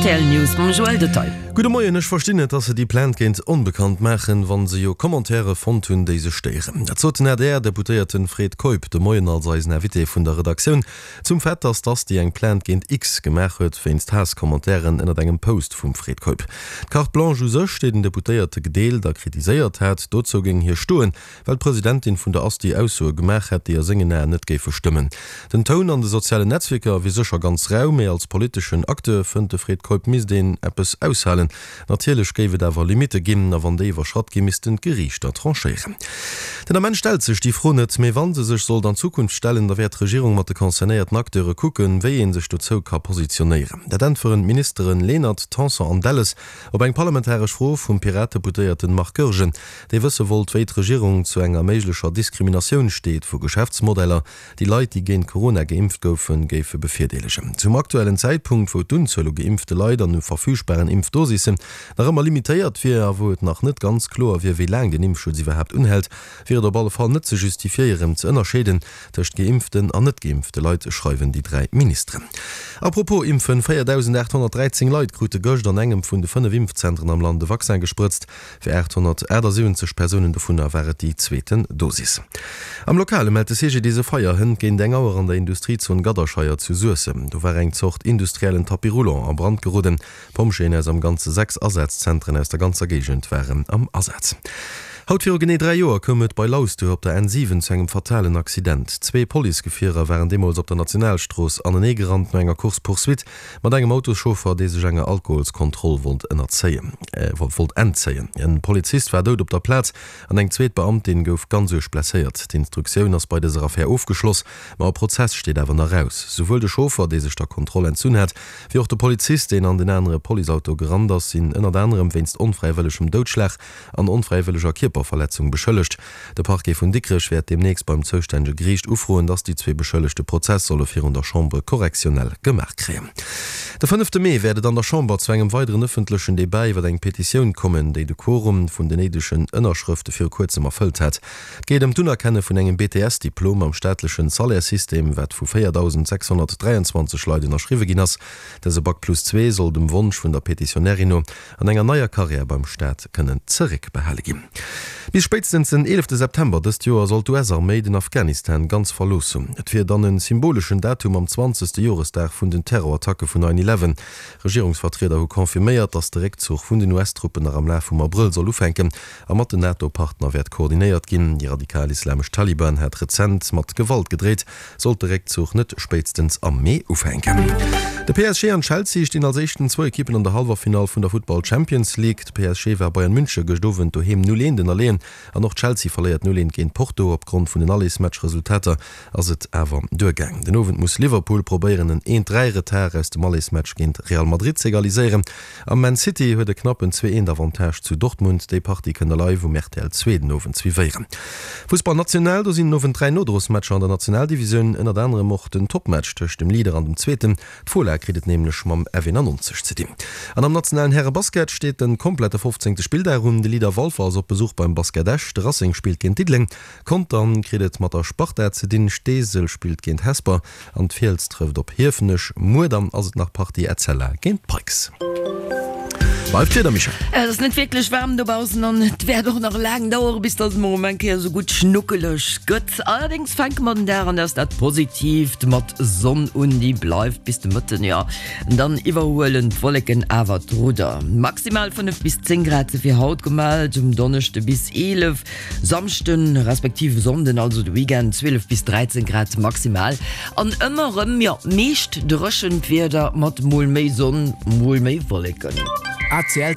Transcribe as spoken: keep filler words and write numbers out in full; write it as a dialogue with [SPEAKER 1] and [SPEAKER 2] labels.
[SPEAKER 1] Rtl News mam Joël Detaille.
[SPEAKER 2] Gudde Moien, ech verstinn net, dass se déi Plainte géint Onbekannt maachen, wa se jo Commentairë fonnt hunn, déi se stéieren. Dat sot den A D R-Deputéierten Fred Keup de Moien als eisen Invité vun der Redaktioun zum Fait, dass d'Asti eng Plainte géint X gemaach huet wéinst Haasscommentairen ënnert engem Post vum Fred Keup. D'Carte blanche u sech, déi den Deputéierte gedeelt a kritiséiert hat, dozou géing hie stoen, well d'Presidentin vun der Asti Aussoe gemaach hätt, déi a sengen Aen net géife stëmmen. Den Toun an de sozialen Netzwierker wier sécher ganz rau, mee als politeschen Acteur, fënnt de Fred Keup, misst een eppes aushalen. Natierlech géif et awer Limitte ginn, a wann déi iwwerschratt ginn, missten d'Geriichter tranchéieren. Den Ament stellt sech déi Fro net, mee wa se sech sollt an Zukunft stellen, da wäert d'Regierung mat de concernéierten Acteure kucken, wéi ee sech dozou ka positionéieren. Dat äntweren d'Ministeren Lenert, Tanson an Delles op eng parlamentaresch Fro vum Piratedeputéierten Marc Goergen, dee wësse wollt, wéi d'Regierung zu enger méiglecher Diskriminatioun steet vu Geschäftsmodeller, déi Leit, déi géint Corona geimpft goufen, géife bevirdeelegen. Zum aktuellen Zäitpunkt, wou d'Unzuel u geimpfte Leit an u verfügbaren Impfdosissen nach ëmmer limitéiert wier a wou et nach net ganz kloer wier, wéi laang den Impfschutz iwwerhaapt unhält, wier et op alle Fall net ze justifiéieren, ze ënnerscheeden tëscht geimpften an net geimpfte Leit, schreiwen déi dräi Ministeren. A propos Impfen, véierdausendaathonnertdräizéng Leit krute gëscht an engem vun de fënnef Impfzentren am Land de Vaccin gesprëtzt. Fir aathonnertaachtsiwwenzeg Persounen dovunner war et déi zweeten Dosis. Am Lokale mellt de C G D S e Feier hënt géint eng Auer an der Industriezon Gadderscheier zu Suessem. Do war eng Zort industriellen Tapis roulant a Brand geroden. Pompjeeën aus am Ganze sechs Asazzentren aus der ganzer Géigend waren am Asaz. Haut viru genee dräi Joer koum et bei Lausduer op der N siwen zu engem fatalen Accident. Zwee Policegefierer waren deemools op der Nationalstrooss aneneegerannt no enger Course-poursuite mat engem Autoschauffer, dee sech enger Alkoholskontroll wollt ënnerzéien, wollt entzéien. E Polizist war dout op der Plaz an eng zweet Beamtin gouf ganz uerg blesséiert. D'Instruktioun ass bei dëser Affär ofgeschloss, ma e Prozess steet awer nach aus. Souwuel de Chauffer, dee sech der Kontroll entzunn hat, wéi och de Polizist, deen an den anere Policeauto gerannt ass, sinn ënnert anerem wéinst onfräiwëllegem Doudschlag an onfräiwëlleger Kierperverletzung beschëllegt. De Parquet vun Dikrech wäert deemnächst beim zoustännege Geriicht ufroen, dass déi zwee Beschëllegte Prozess solle virun der Chambre correctionnelle gemaach kréien. De fënnefte Mee wäert et an der Chamber zu engem weideren ëffentlechen Debat iwwer eng Petitioun kommen, déi de Quorum vun den néidegen Ënnerschrëfte viru kuerzem erfëllt hat. Et geet ëm d'Unerkenne vun engem B T S-Diplom am staatlechen Salaire-System, wat vu véierdausendséchshonnertdräianzwanzeg Leit ënnerschriwwe ginn ass. Dëse Bac plus zwee soll dem Wonsch vun der Petitionärin no an enger neier Karriär beim Staat kënnen zeréckbehale ginn. Bis spéitstens den eelefte September dëst Joer soll d'U S-Arméi den Afghanistan ganz verlooss hunn. Et wier dann e symboleschen Datum am zwanzegste Joresdag vun den Terrorattacke vun nine eleven. Regierungsvertrieder hu confirméiert, datt de Réckzuch vun den U S-Truppen nach am Laf vum Abrëll soll ufänken a mat den NATO-Partner wäert koordinéiert ginn. Déi radikal-islamesch Taliban hat rezent mat Gewalt gedreet, sollt de Réckzuch net spéitstens am Mee ufänken. De P S G an Chelsea stinn als éischten zwou Ekippen an der Halleffinall vun der Futtball Champions League. De P S G war Bayern Münche gëscht Owend doheem null eent ënnerleeën an och Chelsea verléiert null eent géint Porto. Opgrond vun den Allesmatch-Resultater ass et awer duergaang. Den Owend muss Liverpool probéieren, en eent dräi Retard aus dem Allesmatch géint Real Madrid ze egaliséieren. A Man City huet e knappen zwee eent Avantage zu Dortmund. Déi Partie kënnt der live um R T L zwee den Owend suivéieren. Fussball national, do sinn den Owend dräi Nodrosmatcher an der Nationaldivisioun, ënnert anerem och den Topmatch tëscht dem Leader an dem Zweeten. D'Fola kritt et nämlech mam F eenannonzeg ze dinn. An am nationalen Härebasket steet de komplette fofzéngte Spilldag un. De Leader Walfer ass op Besuch beim Basket Esch. De Racing spillt géint Diddeleng. Contern kritt et mat der Sparta ze dinn. Steesel spillt géint Hesper an d'Fiels trëfft op Hiefenech. Muer dann ass et nach Partie Etzella géint Pikes. Bleift Wieder, Michèle.
[SPEAKER 1] Et ass net wierklech waarm dobaussen an et wäert och nach laang dauere bis dass et mol eng Kéier sou gutt schnuckeleg gëtt. Allerdéngs fänke mer den Dag, an dat ass dat Positiivt, mat Sonn un, déi bleift bis de Mëtten, jo. Dann iwwerhuelen d'Wolleken awer d'Rudder. Maximal fënnef bis zéng Grad si fir haut gemellt, um Donneschde bis eelef, Samschden respektiv Sonnden, also de Weekend, zwielef bis dräizéng Grad maximal an ëmmer erëm, jo, meescht dréchent Wieder mat mol méi Sonn, mol méi Wolleken.
[SPEAKER 3] A C L.